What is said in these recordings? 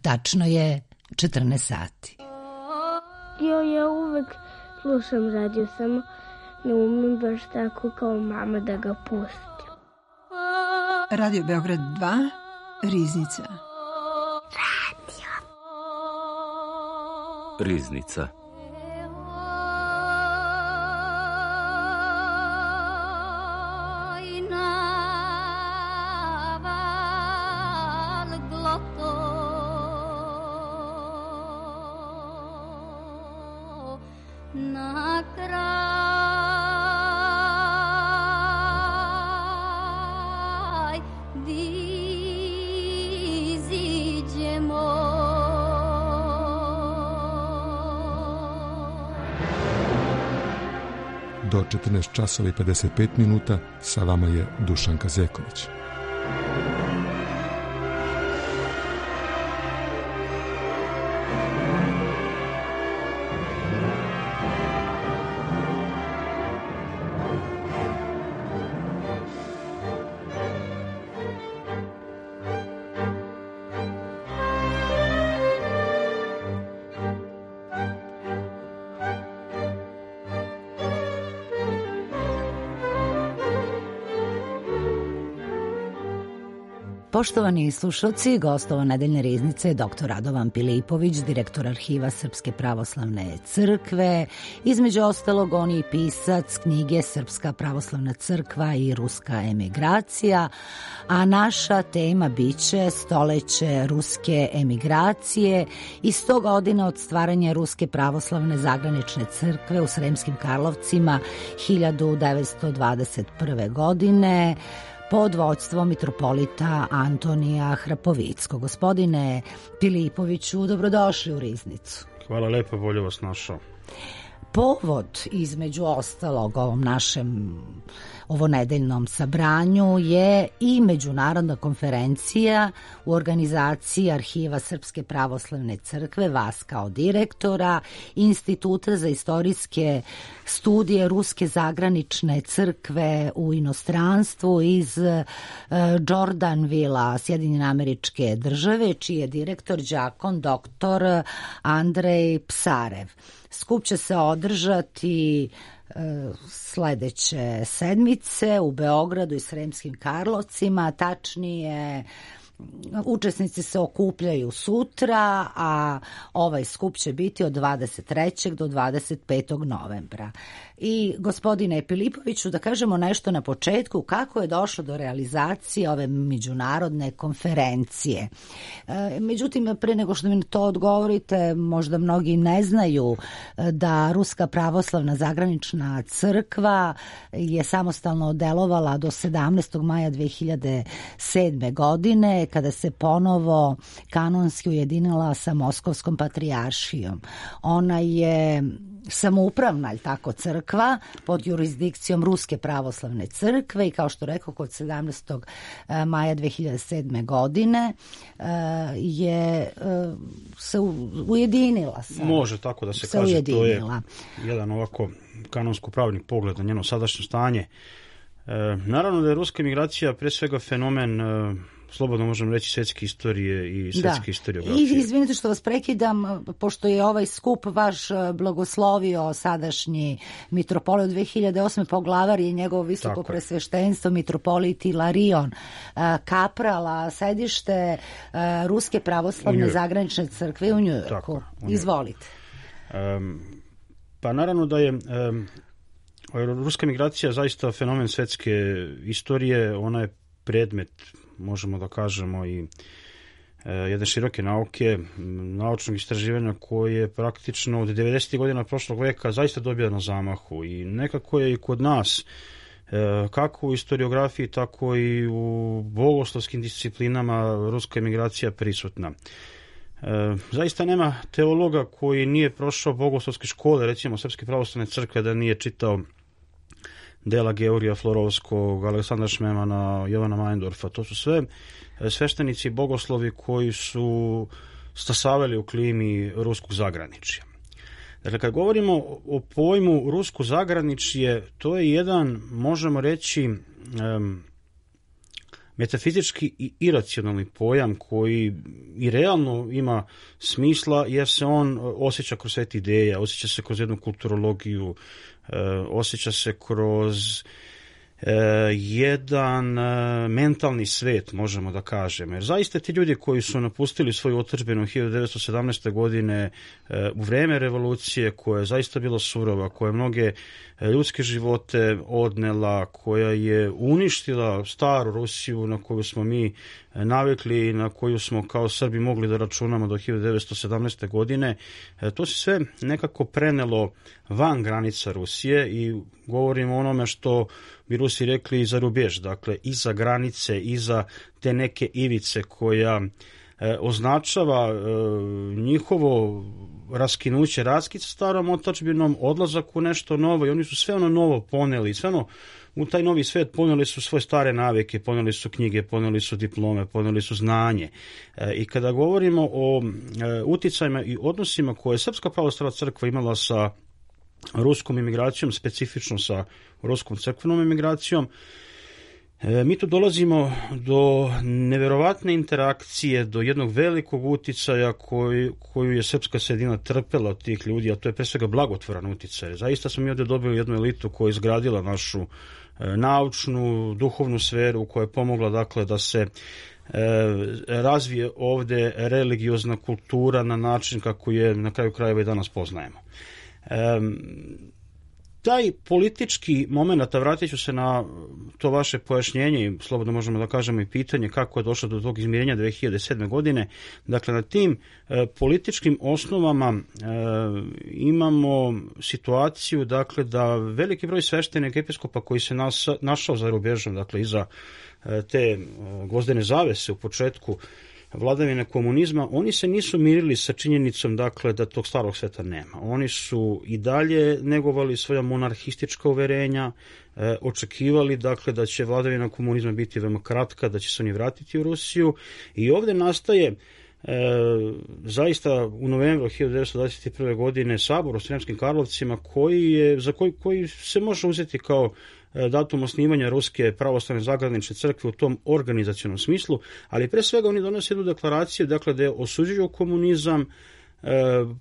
Tačno je 14 sati. Ja uvek slušam radio, samo ne umem baš tako kao mama da ga pustim. Radio Beograd 2, Riznica. Riznica. Do 14 časova i 55 minuta sa vama je Dušan Kazeković. Poštovani slušalci, gostova nedeljne riznice je dr. Radovan Pilipović, direktor Arhiva Srpske pravoslavne crkve. Između ostalog, on je i pisac knjige Srpska pravoslavna crkva i ruska emigracija, a naša tema biće stoleće ruske emigracije i 100 godina od stvaranja Ruske pravoslavne zagranične crkve u Sremskim Karlovcima 1921. godine, pod vođstvom mitropolita Antonija Hrapovickog. Gospodine Pilipoviću, dobrodošli u Riznicu. Hvala lepo, bolje vas našao. Povod, između ostalog, ovom našem ovonedeljnom sabranju je i međunarodna konferencija u organizaciji Arhiva Srpske pravoslavne crkve, vas kao direktora, Instituta za istorijske studije Ruske zagranične crkve u inostranstvu iz Jordanvilla, Sjedinjene Američke Države, čiji je direktor đakon dr. Andrej Psarev. Skup će se održati sledeće sedmice u Beogradu i Sremskim Karlovcima, tačnije učesnici se okupljaju sutra, a ovaj skup će biti od 23. do 25. novembra. I gospodine Pilipoviću, da kažemo nešto na početku, kako je došlo do realizacije ove međunarodne konferencije. Međutim, pre nego što mi to odgovorite, možda mnogi ne znaju da Ruska pravoslavna zagranična crkva je samostalno delovala do 17. maja 2007. godine, kada se ponovo kanonski ujedinila sa Moskovskom patrijaršijom. Ona je samoupravna, ali tako, crkva pod jurisdikcijom Ruske pravoslavne crkve i kao što rekao, kod 17. maja 2007. godine je se ujedinila. Može tako da se kaže, ujedinila. To je jedan ovako kanonsko-pravni pogled na njeno sadašnje stanje. Naravno da je ruska emigracija pre svega fenomen, slobodno možemo reći, svetske istorije i svetske historiografije. I izvinite što vas prekidam, pošto je ovaj skup vaš blagoslovio sadašnji mitropolit 2008. poglavar i njegovo visoko presveštenstvo mitropolit Ilarion Kaprala, sedište Ruske pravoslavne zagranične crkve u Njujorku. Izvolite. Pa naravno da je ruska migracija zaista fenomen svetske istorije, ona je predmet, možemo da kažemo, i jedne široke nauke, naučnog istraživanja koje praktično od 90. godina prošlog veka zaista dobija na zamahu i nekako je i kod nas, kako u historiografiji, tako i u bogoslovskim disciplinama ruska emigracija prisutna. Zaista nema teologa koji nije prošao bogoslovske škole, recimo Srpske pravoslavne crkve, da nije čitao dela Georgija Florovskog, Aleksandra Šmemana, Jovana Majndorfa. To su sve sveštenici i bogoslovi koji su stasavali u klimi ruskog zagraničja. Dakle, kad govorimo o pojmu rusko zagraničje, to je jedan, možemo reći, metafizički i iracionalni pojam koji i realno ima smisla jer se on osjeća kroz sve ideje, osjeća se kroz jednu kulturologiju, osjeća se kroz jedan mentalni svet, možemo da kažemo. Jer zaista ti ljudi koji su napustili svoju otadžbinu 1917. godine u vreme revolucije, koja je zaista bila surova, koja je mnoge ljudske živote odnela, koja je uništila staru Rusiju na koju smo mi navikli i na koju smo kao Srbi mogli da računamo do 1917. godine. To se sve nekako prenelo van granica Rusije i govorimo o onome što bi Rusi rekli iza rubež, dakle iza granice, iza te neke ivice koja označava njihovo raskinuće, raskid sa starom otadžbinom, odlazak u nešto novo i oni su sve ono novo poneli, sve ono u taj novi svet poneli su svoje stare navike, poneli su knjige, poneli su diplome, poneli su znanje. I kada govorimo o uticajima i odnosima koje je Srpska pravoslavna crkva imala sa ruskom imigracijom, specifično sa ruskom crkvenom imigracijom, mi tu dolazimo do neverovatne interakcije, do jednog velikog uticaja koju je srpska sredina trpela od tih ljudi, a to je pre svega blagotvoran uticaj. Zaista smo mi ovdje dobili jednu elitu koja je izgradila našu naučnu, duhovnu sferu, koja je pomogla dakle da se razvije ovdje religiozna kultura na način kako je na kraju krajeva i danas poznajemo. Taj politički moment, a vratit ću se na to vaše pojašnjenje i slobodno možemo da kažemo i pitanje kako je došlo do tog izmirenja 2007. godine. Dakle, na tim političkim osnovama imamo situaciju dakle, da veliki broj sveštenika episkopa koji se našao za rubežom, dakle iza te gvozdene zavese u početku vladavine komunizma, oni se nisu mirili sa činjenicom dakle, da tog starog sveta nema. Oni su i dalje negovali svoja monarhistička uverenja, očekivali dakle, da će vladavina komunizma biti veoma kratka, da će se oni vratiti u Rusiju i ovdje nastaje zaista u novembru 1921. godine sabor u Sremskim Karlovcima koji se može uzeti kao datum osnivanja Ruske pravoslavne zagranične crkve u tom organizacionom smislu, ali pre svega oni donose jednu deklaraciju dakle, da osuđuju komunizam,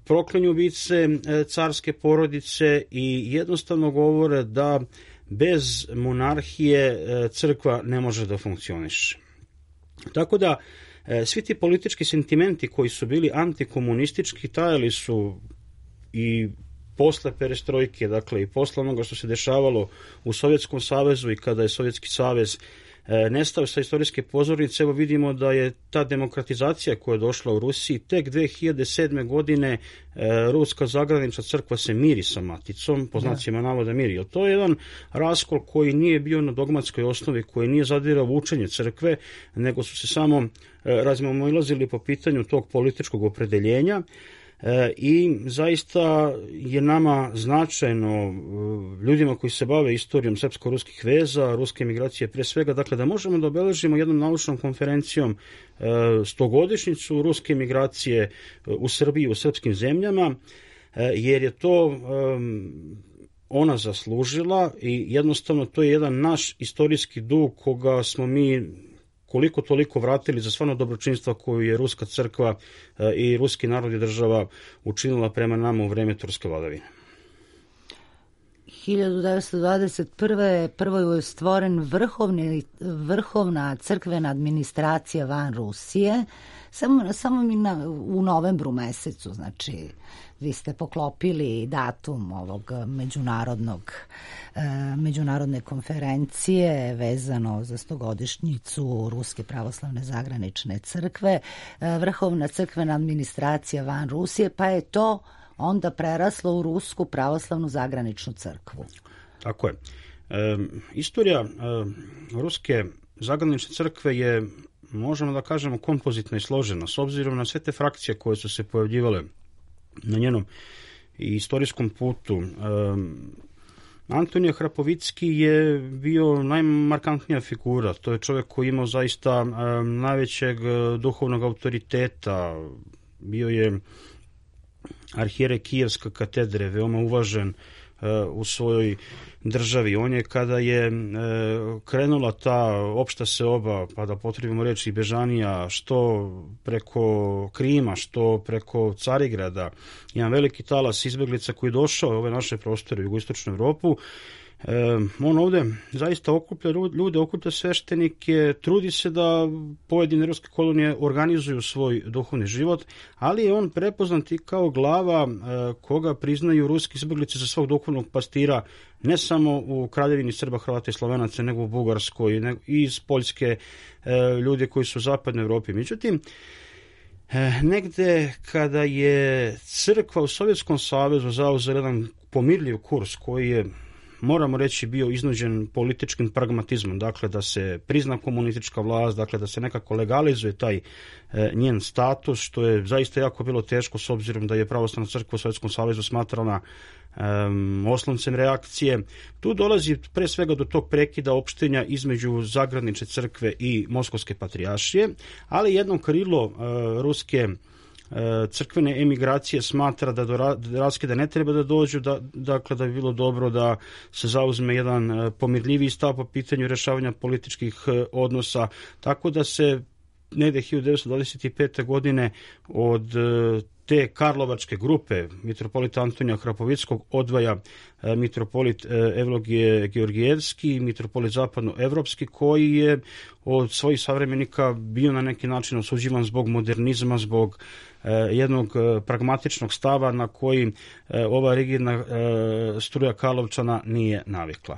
proklinju ubice carske porodice i jednostavno govore da bez monarhije crkva ne može da funkcioniše. Tako da svi ti politički sentimenti koji su bili antikomunistički trajali su i posle perestrojke, dakle i posle onoga što se dešavalo u Sovjetskom savezu i kada je Sovjetski savez nestao sa istorijske pozornice, evo vidimo da je ta demokratizacija koja je došla u Rusiji tek 2007. godine Ruska zagranična crkva se miri sa maticom, po znacima navoda miri. To je jedan raskol koji nije bio na dogmatskoj osnovi, koji nije zadirao u učenje crkve, nego su se samo razmimoilazili po pitanju tog političkog opredeljenja. I zaista je nama značajno, ljudima koji se bave istorijom srpsko-ruskih veza, ruske emigracije pre svega, dakle da možemo da obeležimo jednom naučnom konferencijom 100-godišnjicu ruske emigracije u Srbiji, u srpskim zemljama, jer je to ona zaslužila i jednostavno to je jedan naš istorijski dug koga smo mi koliko toliko vratili za stvarno dobročinstva koju je ruska crkva i ruski narod i država učinila prema nama u vreme turske vladavine. 1921. prvo je stvoren vrhovna crkvena administracija van Rusije, samo u novembru mesecu, znači vi ste poklopili datum ovog međunarodne konferencije vezano za 100-godišnjicu Ruske pravoslavne zagranične crkve, vrhovna crkvena administracija van Rusije, pa je to onda preraslo u Rusku pravoslavnu zagraničnu crkvu. Tako je. Istorija Ruske zagranične crkve je, možemo da kažemo, kompozitna i složena, s obzirom na sve te frakcije koje su se pojavljivale na njenom istorijskom putu. Antonije Hrapovicki je bio najmarkantnija figura. To je čovjek koji imao zaista najvećeg duhovnog autoriteta. Bio je arhijerej Kijevske katedre, veoma uvažen u svojoj državi. On je kada je krenula ta opšta seoba, pa da potrebimo reći bežanija, što preko Krima, što preko Carigrada, jedan veliki talas izbeglica koji je došao u ove naše prostore u jugoistočnu Evropu, on ovde zaista okuplja ljude, okuplja sveštenike, trudi se da pojedine ruske kolonije organizuju svoj duhovni život, ali je on prepoznat i kao glava koga priznaju ruski izbeglice za svog duhovnog pastira, ne samo u Kraljevini Srba, Hrvata i Slovenaca, nego u Bugarskoj i iz Poljske, ljude koji su u zapadnoj Evropi. Međutim, negde kada je crkva u Sovjetskom savezu zauzela jedan pomirljiv kurs koji je, moramo reći, bio iznuđen političkim pragmatizmom, dakle da se prizna komunistička vlast, dakle da se nekako legalizuje taj njen status, što je zaista jako bilo teško s obzirom da je pravoslavna crkva u Sovjetskom savezu smatrana osloncem reakcije. Tu dolazi pre svega do tog prekida opštenja između Zagradničke crkve i Moskovske patrijaršije, ali jedno krilo ruske crkvene emigracije smatra da do raskida ne treba da dođu, dakle da bi bilo dobro da se zauzme jedan pomirljiviji stav po pitanju rešavanja političkih odnosa, tako da se negde 1925. godine od te karlovačke grupe mitropolita Antonija Hrapovickog odvaja mitropolit Evlogije Georgijevski, mitropolit zapadnoevropski, koji je od svojih savremenika bio na neki način osuđivan zbog modernizma, zbog jednog pragmatičnog stava na koji ova rigidna struja Karlovčana nije navikla.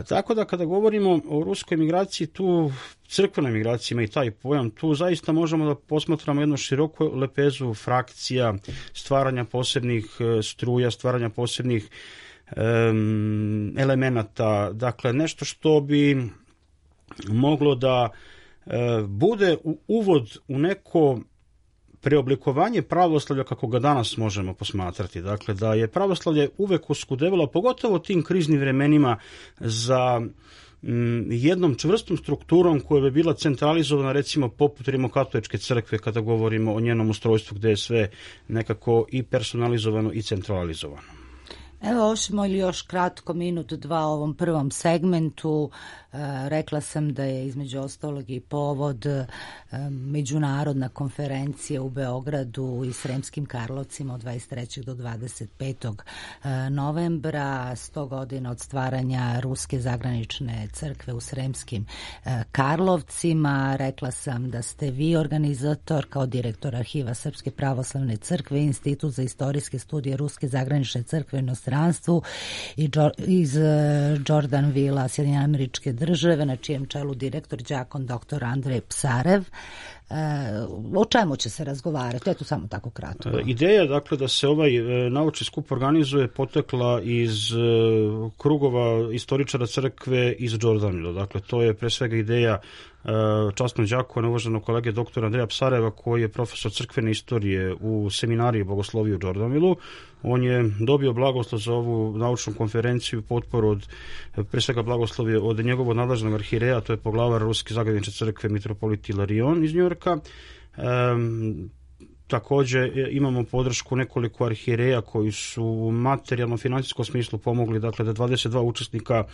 Tako da kada govorimo o ruskoj migraciji, tu crkvenoj migraciji ima i taj pojam, tu zaista možemo da posmatramo jednu široku lepezu frakcija, stvaranja posebnih struja, stvaranja posebnih elemenata, dakle nešto što bi moglo da bude uvod u neko preoblikovanje pravoslavlja kako ga danas možemo posmatrati. Dakle, da je pravoslavlje uvek oskudevalo, pogotovo tim kriznim vremenima, za jednom čvrstom strukturom koja bi bila centralizovana, recimo poput Rimokatoličke crkve, kada govorimo o njenom ustrojstvu gde je sve nekako i personalizovano i centralizovano. Evo, ošimo ili još kratko, minut, dva o ovom prvom segmentu. Rekla sam da je između ostalog i povod međunarodna konferencija u Beogradu i Sremskim Karlovcima od 23. do 25. novembra, 100 godina od stvaranja Ruske zagranične crkve u Sremskim Karlovcima. Rekla sam da ste vi organizator kao direktor Arhiva Srpske pravoslavne crkve, Institut za istorijske studije Ruske zagranične crkve u inostranstvu iz Jordanvilla, Sjedinjene Američke Države, na čijem čelu direktor đakon dr. Andrej Psarev. O čemu će se razgovarati? Eto, samo tako kratko. Ideja, dakle, da se ovaj naučni skup organizuje potekla iz krugova istoričara crkve iz Jordanvilla. Dakle, to je pre svega ideja časnog đakona, uvaženog kolege dr. Andreja Psareva, koji je profesor crkvene istorije u seminariji bogoslovije u Jordanvillu. On je dobio blagoslov za ovu naučnu konferenciju, potporu od, pre svega blagoslovje od njegovog nadležnog arhireja, to je poglavar Ruske zagranične crkve mitropolit Ilarion iz Njujorka. Takođe imamo podršku nekoliko arhireja koji su u materijalno-finansijskom smislu pomogli, dakle da 22 učesnika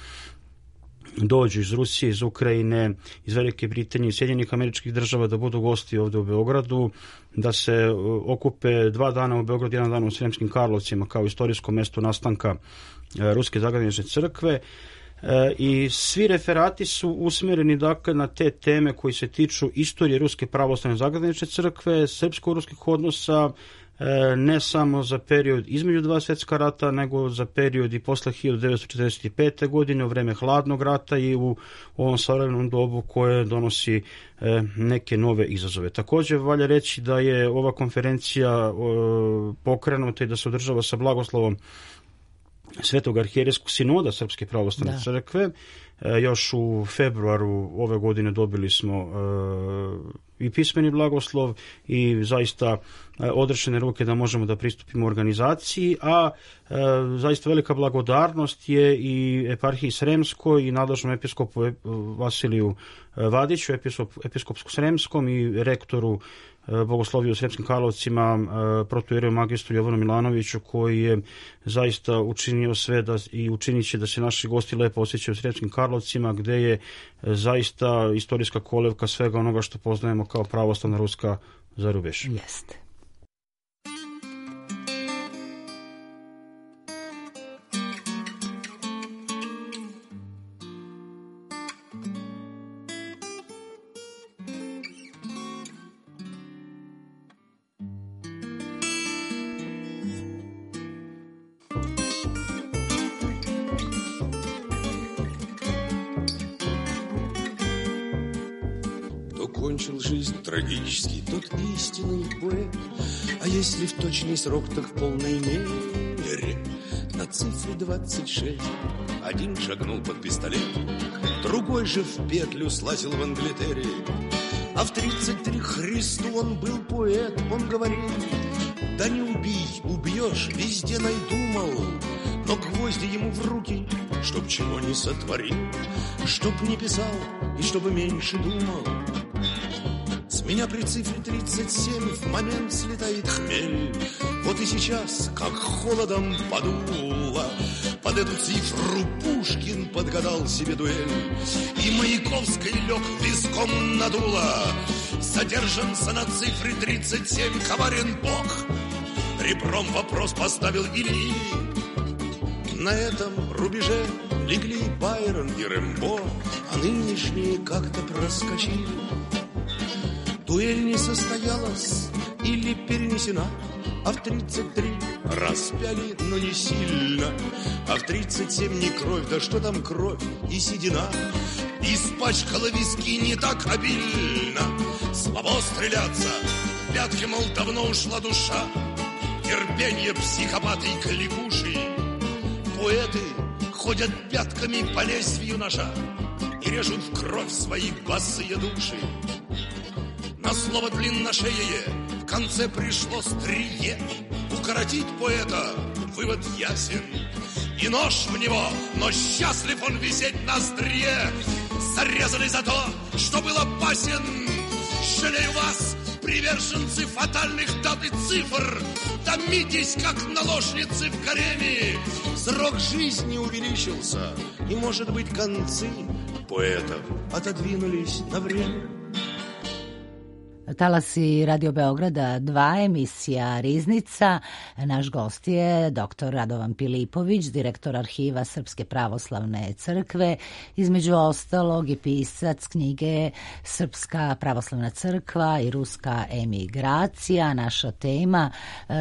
dođu iz Rusije, iz Ukrajine, iz Velike Britanije i Sjedinjenih Američkih Država, da budu gosti ovde u Beogradu, da se okupe 2 dana u Beogradu, 1 dan u Sremskim Karlovcima kao istorijsko mesto nastanka Ruske zagranične crkve. I svi referati su usmereni, dakle, na te teme koji se tiču istorije Ruske pravoslavne zagranične crkve, srpsko-ruskih odnosa, ne samo za period između 2 svjetska rata, nego za period i posle 1945. godine, u vreme hladnog rata i u ovom savremenom dobu koje donosi neke nove izazove. Takođe, valja reći da je ova konferencija pokrenuta i da se održava sa blagoslovom Svetog arhijerejskog sinoda Srpske pravoslavne crkve. Još u februaru ove godine dobili smo i pismeni blagoslov i zaista odrešene ruke da možemo da pristupimo organizaciji, a zaista velika blagodarnost je i eparhiji Sremskoj i nadležnom episkopu Vasiliju Vadiću, episkopsko-sremskom i rektoru bogosloviju u Sremskim Karlovcima, protoijereju magistru Jovanu Milanoviću, koji je zaista učinio sve i učinit će da se naši gosti lepo osjećaju u Sremskim Karlovcima, gde je zaista istorijska kolevka svega onoga što poznajemo kao pravoslavna ruska zarubež. Jeste. Кончил жизнь трагически тот истинный поэт. А если в точный срок, так в полной мере. На цифре 26 один шагнул под пистолет, другой же в петлю слазил в Англитере. А в 33 Христу он был поэт. Он говорил: да не убей, убьешь, везде найду, мол. Но гвозди ему в руки, чтоб чего не сотворил, чтоб не писал и чтобы меньше думал. С меня при цифре 37 в момент слетает хмель. Вот и сейчас, как холодом подуло, под эту цифру Пушкин подгадал себе дуэль. И Маяковской лег виском надуло. Задержанца на цифре 37 коварен Бог. Ребром вопрос поставил Ильи. На этом рубеже легли Байрон и Рэмбо, а нынешние как-то проскочили. Дуэль не состоялась или перенесена, а в 33 распяли, но не сильно. А в 37 не кровь, да что там кровь и седина. Испачкала виски не так обильно. Слабо стреляться, пятки, мол, давно ушла душа. Терпенье психопаты и кликуши. Поэты ходят пятками по лезвию ножа и режут в кровь свои босые души. На слово длинношеее в конце пришло стрие. Укоротить поэта вывод ясен. И нож в него, но счастлив он висеть на острие. Зарезали за то, что был опасен. Жалею вас, приверженцы фатальных дат и цифр. Томитесь, как наложницы в гареме. Срок жизни увеличился, и, может быть, концы поэтов отодвинулись на время. Talasi Radio Beograda 2, emisija Riznica. Naš gost je dr. Radovan Pilipović, direktor arhiva Srpske pravoslavne crkve, između ostalog i pisac knjige Srpska pravoslavna crkva i ruska emigracija. Naša tema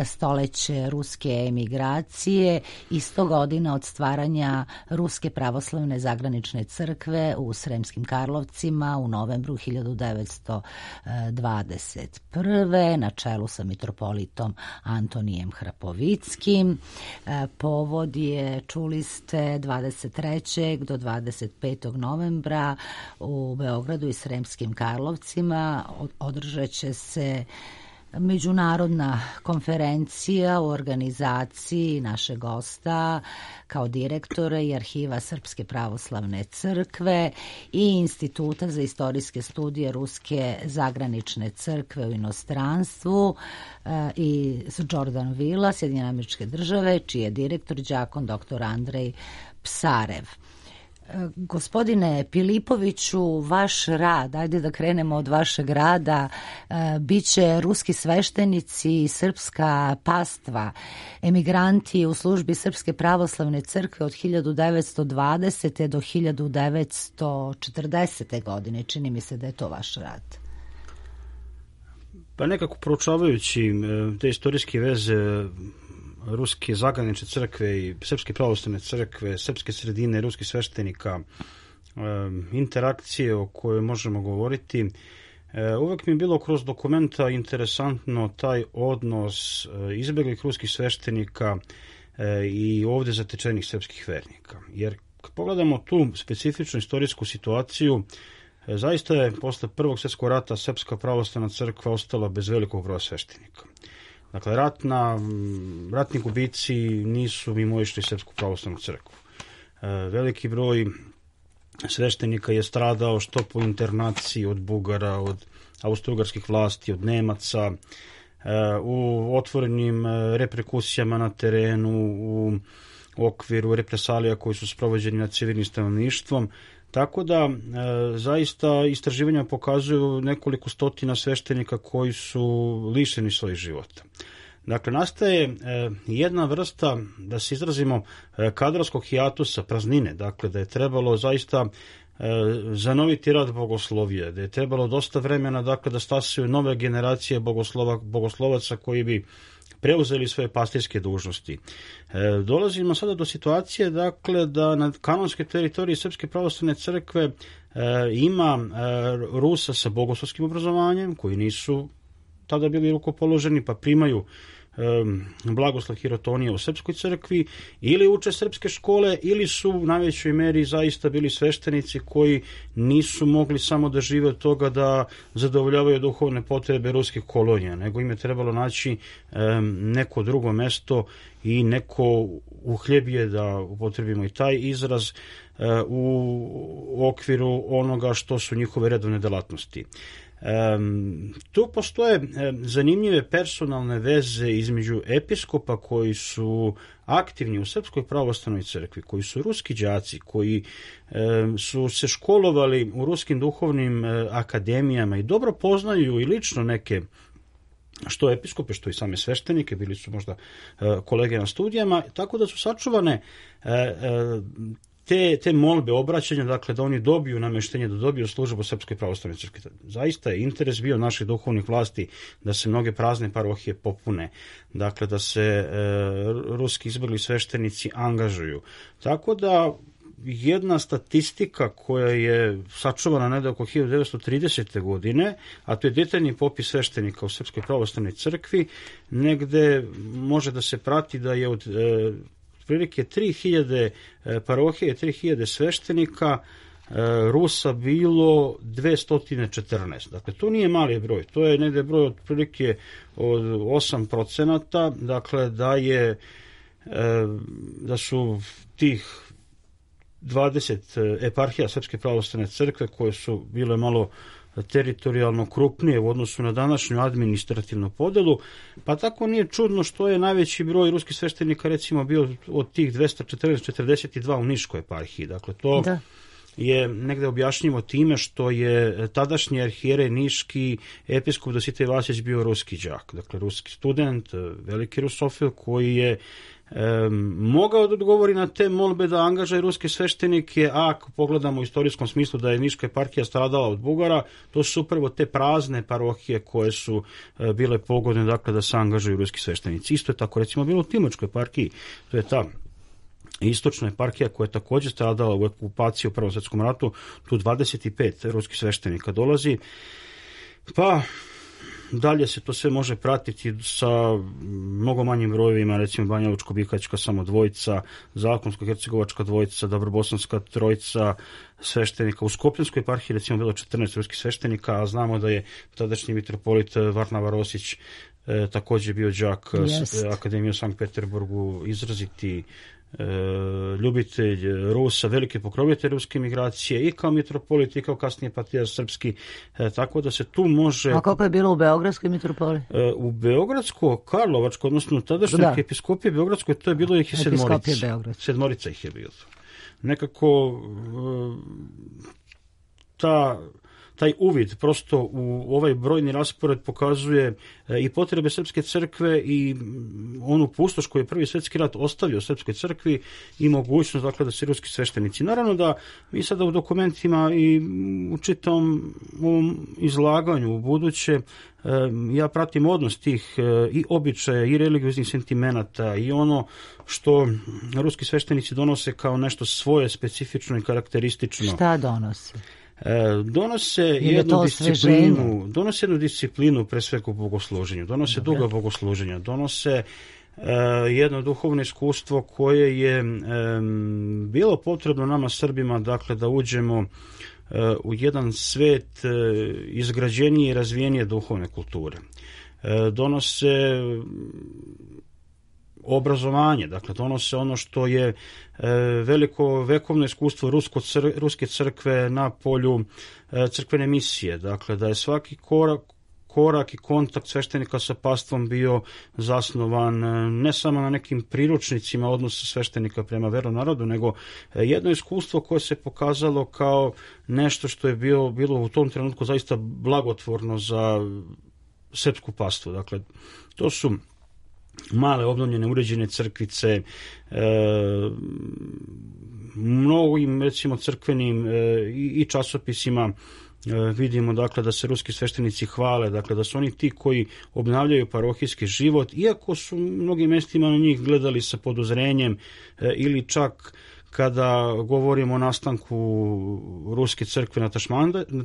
stoleće ruske emigracije i 100 godina od stvaranja Ruske pravoslavne zagranične crkve u Sremskim Karlovcima u novembru 1921. na čelu sa mitropolitom Antonijem Hrapovickim. Povod je, čuli ste, 23. do 25. novembra u Beogradu i Sremskim Karlovcima održat će se međunarodna konferencija u organizaciji našeg gosta kao direktora i arhiva Srpske pravoslavne crkve i Instituta za istorijske studije Ruske zagranične crkve u inostranstvu i Jordan Villa, Sjedinjene Američke Države, čiji je direktor đakon dr. Andrej Psarev. Gospodine Pilipoviću, vaš rad, ajde da krenemo od vašeg rada, biće ruski sveštenici i srpska pastva, emigranti u službi Srpske pravoslavne crkve od 1920. do 1940. godine. Čini mi se da je to vaš rad. Pa nekako proučavajući te istorijske veze Ruske zagranične crkve i Srpske pravoslavne crkve, srpske sredine, ruskih sveštenika, interakcije o kojoj možemo govoriti, uvek mi je bilo kroz dokumenta interesantno taj odnos izbeglih ruskih sveštenika i ovde zatečenih srpskih vernika. Jer kad pogledamo tu specifičnu istorijsku situaciju, zaista je posle Prvog svjetskog rata Srpska pravoslavna crkva ostala bez velikog broja sveštenika. Dakle, ratni gubici nisu mimoišli Srpsku pravoslavnu crkvu. Veliki broj sveštenika je stradao što po internaciji od Bugara, od austrougarskih vlasti, od Nemaca, u otvorenim reperkusijama na terenu, u okviru represalija koji su sprovođeni nad civilnim stanovništvom. Tako da, zaista, istraživanja pokazuju nekoliko stotina sveštenika koji su lišeni svojih života. Dakle, nastaje jedna vrsta, da se izrazimo, kadrovskog hijatusa, praznine, dakle, da je trebalo zaista zanoviti rad bogoslovije, da je trebalo dosta vremena, dakle, da stasaju nove generacije bogoslovaca koji bi preuzeli svoje pastirske dužnosti. Dolazimo sada do situacije, dakle, da na kanonskoj teritoriji Srpske pravoslavne crkve ima Rusa sa bogoslovskim obrazovanjem, koji nisu tada bili rukopoloženi, pa primaju blagoslov hirotonije u Srpskoj crkvi, ili uče srpske škole, ili su u najvećoj meri zaista bili sveštenici koji nisu mogli samo da žive od toga da zadovoljavaju duhovne potrebe ruskih kolonija, nego im je trebalo naći neko drugo mesto i neko uhljebije, da upotrebimo i taj izraz, u okviru onoga što su njihove redovne delatnosti. Tu postoje zanimljive personalne veze između episkopa koji su aktivni u Srpskoj pravoslavnoj crkvi, koji su ruski đaci, koji su se školovali u ruskim duhovnim akademijama i dobro poznaju i lično neke što episkope, što i same sveštenike, bili su možda kolege na studijama, tako da su sačuvane te molbe, obraćanja, dakle, da oni dobiju nameštenje, da dobiju službu Srpskoj pravoslavnoj crkvi. Zaista je interes bio naših duhovnih vlasti da se mnoge prazne parohije popune, dakle, da se ruski izbegli sveštenici angažuju. Tako da jedna statistika koja je sačuvana negde oko 1930. godine, a to je detaljni popis sveštenika u Srpskoj pravoslavnoj crkvi, negde može da se prati da je od prilike 3000 parohije, 3000 sveštenika, Rusa bilo 214. Dakle, to nije mali broj, to je negde broj od prilike od 8%, dakle, da su tih 20 eparhija Srpske pravoslavne crkve koje su bile malo teritorijalno krupnije u odnosu na današnju administrativnu podelu, pa tako nije čudno što je najveći broj ruskih sveštenika recimo bio od tih 242 u Niškoj eparhiji. Dakle, to je negde objašnjivo time što je tadašnji arhijerej niški episkop Dositej Vasić bio ruski đak, dakle ruski student, veliki rusofil koji je mogao da odgovori na te molbe da angažuje ruske sveštenike, a ako pogledamo u istorijskom smislu da je Niška eparhija stradala od Bugara, to su upravo te prazne parohije koje su bile pogodne, dakle, da se angažuju ruski sveštenici. Isto je tako recimo bilo u Timočkoj eparhiji, to je ta istočna eparhija koja je također stradala u okupaciji u Prvom svjetskom ratu, tu 25 ruskih sveštenika dolazi, pa dalje se to sve može pratiti sa mnogo manjim brojevima, recimo Banjalučko-Bihaćka samo dvojica, Zakonsko-Hercegovačka dvojica, Dobrobosanska trojica sveštenika. U Skopljanskoj eparhiji recimo bilo 14 ruskih sveštenika, a znamo da je tadašnji mitropolit Varnava Rosić također bio đak Akademije u Sankt Peterburgu, izraziti ljubitelj Rusa, veliki pokrovitelj ruske migracije i kao mitropolit i kao kasnije patrijarh srpski, tako da se tu može... A kako je bilo u Beogradskoj mitropoliji? U Beogradsko-Karlovačkoj, odnosno tadašnjoj episkopije Beogradskoj, to je bilo ih sedmorica ih je bilo. Nekako taj uvid prosto u ovaj brojni raspored pokazuje i potrebe Srpske crkve i onu pustoš koju je Prvi svjetski rat ostavio Srpskoj crkvi i mogućnost, dakle, da se ruski sveštenici. Naravno da mi sada u dokumentima i u čitavom ovom izlaganju u buduće ja pratim odnos tih i običaja i religioznih sentimenata i ono što ruski sveštenici donose kao nešto svoje specifično i karakteristično. Šta donose? Donose jednu disciplinu pre svega u bogosluženju, donose duga bogosluženja, donose jedno duhovno iskustvo koje je bilo potrebno nama Srbima, dakle, da uđemo u jedan svet izgrađenije i razvijenije duhovne kulture. donose obrazovanje, dakle donose ono što je veliko vekovno iskustvo ruske crkve na polju crkvene misije, dakle da je svaki korak i kontakt sveštenika sa pastvom bio zasnovan ne samo na nekim priručnicima odnosa sveštenika prema veronarodu, nego jedno iskustvo koje se pokazalo kao nešto što je bilo u tom trenutku zaista blagotvorno za srpsku pastvu. Dakle, to su male obnovljene uređene crkvice, mnogim recimo crkvenim i časopisima vidimo dakle da se ruski sveštenici hvale, dakle da su oni ti koji obnavljaju parohijski život, iako su mnogim mestima na njih gledali sa podozrenjem ili čak kada govorimo o nastanku ruske crkve na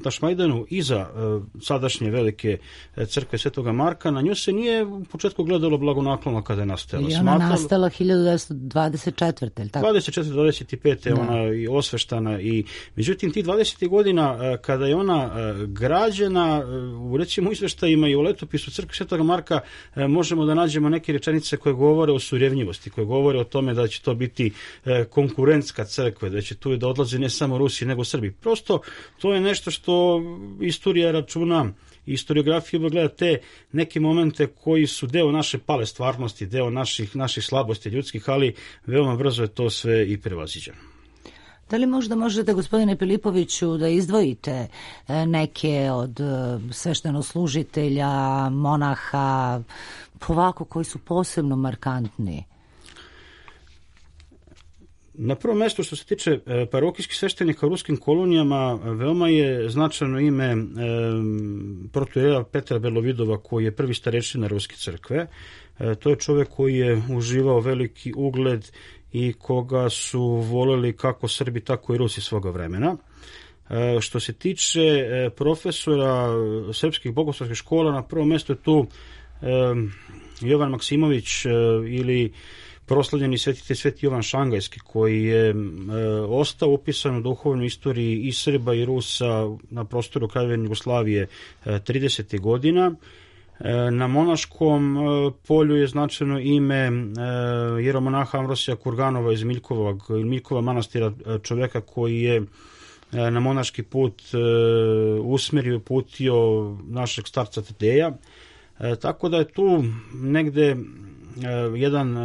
Tašmajdanu iza sadašnje velike crkve Svetoga Marka, na nju se nije u početku gledalo blagonaklono kada je nastala. I ona nastala 1924. ili tako? 24-25. je ona i osveštana. Međutim, ti 20. godina kada je ona građena, u recimo izveštajima i u letopisu crkve Svetoga Marka možemo da nađemo neke rečenice koje govore o surevnjivosti, koje govore o tome da će to biti konkurentska crkva, da će tu da odlaze ne samo Rusi nego Srbi. Prosto to je nešto što istorija računa, historiografija gleda te neke momente koji su deo naše pale stvarnosti, deo naših slabosti ljudskih, ali veoma brzo je to sve i prevaziđeno. Da li možda možete, gospodine Pilipoviću, da izdvojite neke od sveštenoslужitelja, monaha, ovako koji su posebno markantni? Na prvom mjestu što se tiče parohijskih sveštenika u ruskim kolonijama, veoma je značajno ime protoijereja Petra Belovidova, koji je prvi starešina ruske crkve. To je čovjek koji je uživao veliki ugled i koga su voleli kako Srbi, tako i Rusi svoga vremena. Što se tiče profesora srpskih bogoslovskih škola, na prvom mjestu je tu Jovan Maksimović ili proslavljeni Sveti Jovan Šangajski, koji je ostao upisan u duhovnoj istoriji i Srba i Rusa na prostoru Kraljevine Jugoslavije 30. godina. Na monaškom polju je značajno ime jeromonaha Amvrosija Kurganova iz Miljkova manastira, čovjeka koji je na monaški put usmerio i uputio našeg starca Tadeja. Tako da je tu negde jedan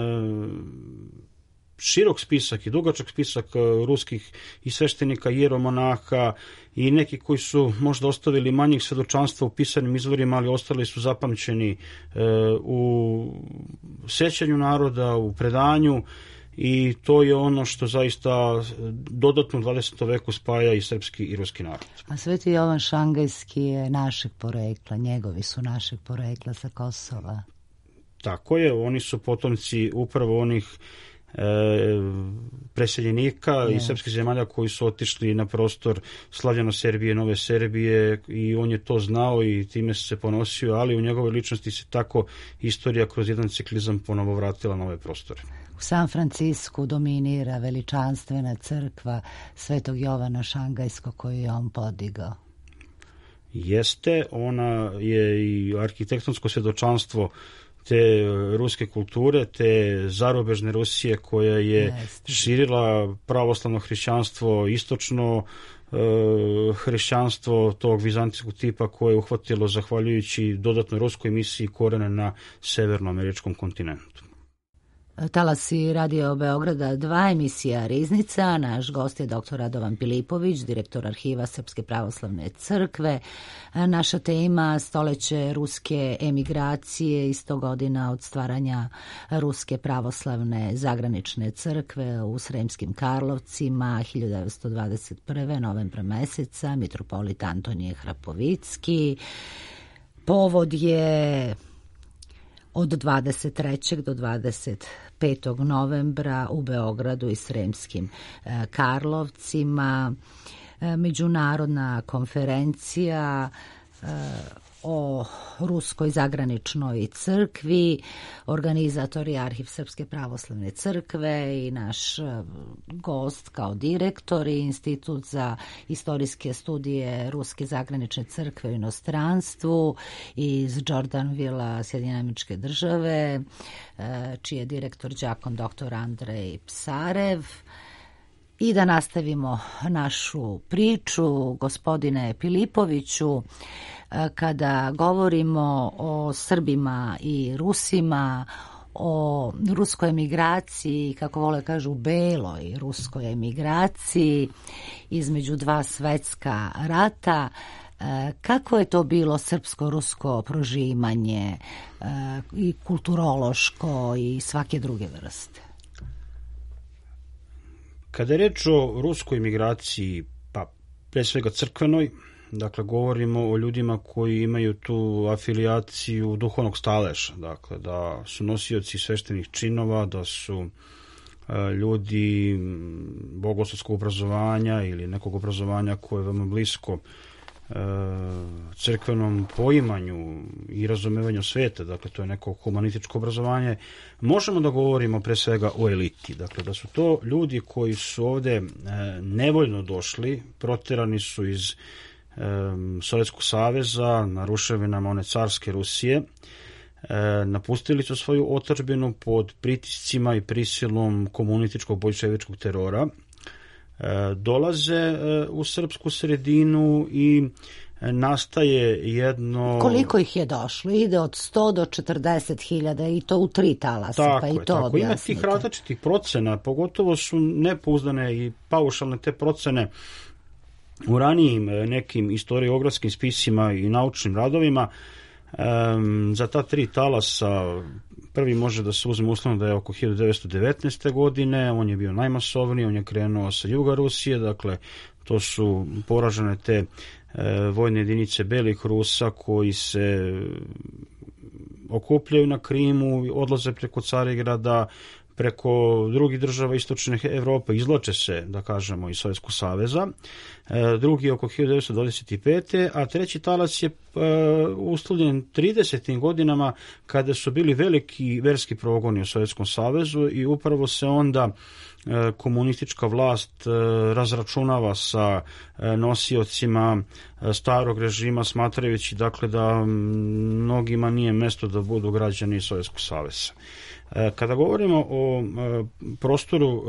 širok spisak i dugačak spisak ruskih i sveštenika i jeromonaha i neki koji su možda ostavili manjih svedočanstva u pisanim izvorima, ali ostali su zapamćeni u sećanju naroda, u predanju, i to je ono što zaista dodatno u 20. veku spaja i srpski i ruski narod. A Sveti Jovan Šangajski je našeg porekla, njegovi su našeg porekla sa Kosova. Tako je, oni su potomci upravo onih preseljenika iz srpskih zemalja koji su otišli na prostor Slavljano Serbije, Nove Serbije, i on je to znao i time se ponosio, ali u njegovoj ličnosti se tako istorija kroz jedan ciklizam ponovo vratila na ove prostore. U San Francisku dominira veličanstvena crkva Svetog Jovana Šangajskog koju je on podigao. Jeste, ona je i arhitektonsko svjedočanstvo te ruske kulture, te zarobežne Rusije koja je širila pravoslavno hrišćanstvo, istočno hrišćanstvo tog vizantijskog tipa koje je uhvatilo zahvaljujući dodatnoj ruskoj misiji korene na severnoameričkom kontinentu. Talasi Radio Beograda 2, emisija Riznica. Naš gost je dr. Radovan Pilipović, direktor arhiva Srpske pravoslavne crkve. Naša tema stoleće ruske emigracije i 100 godina od stvaranja Ruske pravoslavne zagranične crkve u Sremskim Karlovcima 1921. novembra meseca, mitropolit Antonije Hrapovicki. Povod je od 23. do 25. novembra u Beogradu i Sremskim Karlovcima međunarodna konferencija o Ruskoj zagraničnoj crkvi. Organizator je Arhiv Srpske pravoslavne crkve i naš gost kao direktor i Institut za istorijske studije Ruske zagranične crkve u inostranstvu iz Jordanvilla, Sjedinjene Američke Države, čiji je direktor đakon dr. Andrej Psarev. I da nastavimo našu priču, gospodine Pilipoviću, kada govorimo o Srbima i Rusima, o ruskoj emigraciji, kako vole kažu beloj ruskoj emigraciji između dva svetska rata, kako je to bilo srpsko-rusko prožimanje i kulturološko i svake druge vrste? Kada je reč o ruskoj imigraciji, pa pre svega crkvenoj, dakle govorimo o ljudima koji imaju tu afilijaciju duhovnog staleža, dakle da su nosioci sveštenih činova, da su ljudi bogoslovskog obrazovanja ili nekog obrazovanja koje je veoma blisko crkvenom poimanju i razumevanju sveta, dakle to je neko humanističko obrazovanje. Možemo da govorimo pre svega o eliti, dakle da su to ljudi koji su ovde nevoljno došli, proterani su iz Sovjetskog saveza na ruševinama one carske Rusije, napustili su svoju otadžbinu pod pritiscima i prisilom komunističkog bolševičkog terora, dolaze u srpsku sredinu i nastaje jedno... Koliko ih je došlo? Ide od 100 do 40.000 i to u 3 talasa, tako pa je, i to tako. Ima objasnite. tih različitih procena, pogotovo su nepouzdane i paušalne te procene u ranijim nekim istoriografskim spisima i naučnim radovima. Za ta 3 talasa prvi može da se uzme uslovno da je oko 1919. godine, on je bio najmasovniji, on je krenuo sa juga Rusije, dakle to su poražene te vojne jedinice belih Rusa koji se okupljaju na Krimu, odlaze preko Carigrada, preko drugih država istočne Evrope, izvlače se, da kažemo, iz Sovjetskog saveza. Drugi je oko 1925. A treći talas je uslovljen 30. godinama kada su bili veliki verski progoni u Sovjetskom savezu i upravo se onda komunistička vlast razračunava sa nosiocima starog režima, smatrajući dakle da mnogima nije mesto da budu građani Sovjetskog saveza. Kada govorimo o prostoru,